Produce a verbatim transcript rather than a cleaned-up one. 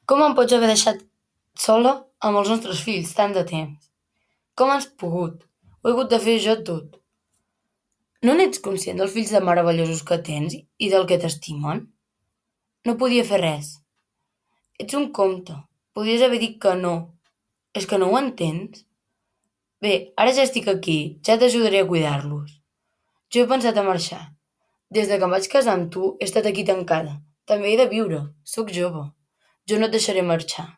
Com em pots haver deixat sola amb els nostres fills tant de temps? Com has pogut? Ho he hagut de fer jo tot. No n'ets conscient dels fills de meravellosos que tens i del que t'estimen? No podia fer res. Ets un conte. Podries haver dit que no. És que no ho entens? Bé, ara ja estic aquí, ja t'ajudaré a cuidar-los. Jo he pensat a marxar. Des de que em vaig casar amb tu he estat aquí tancada. També he de viure. Sóc jove. Jo no et deixaré marxar.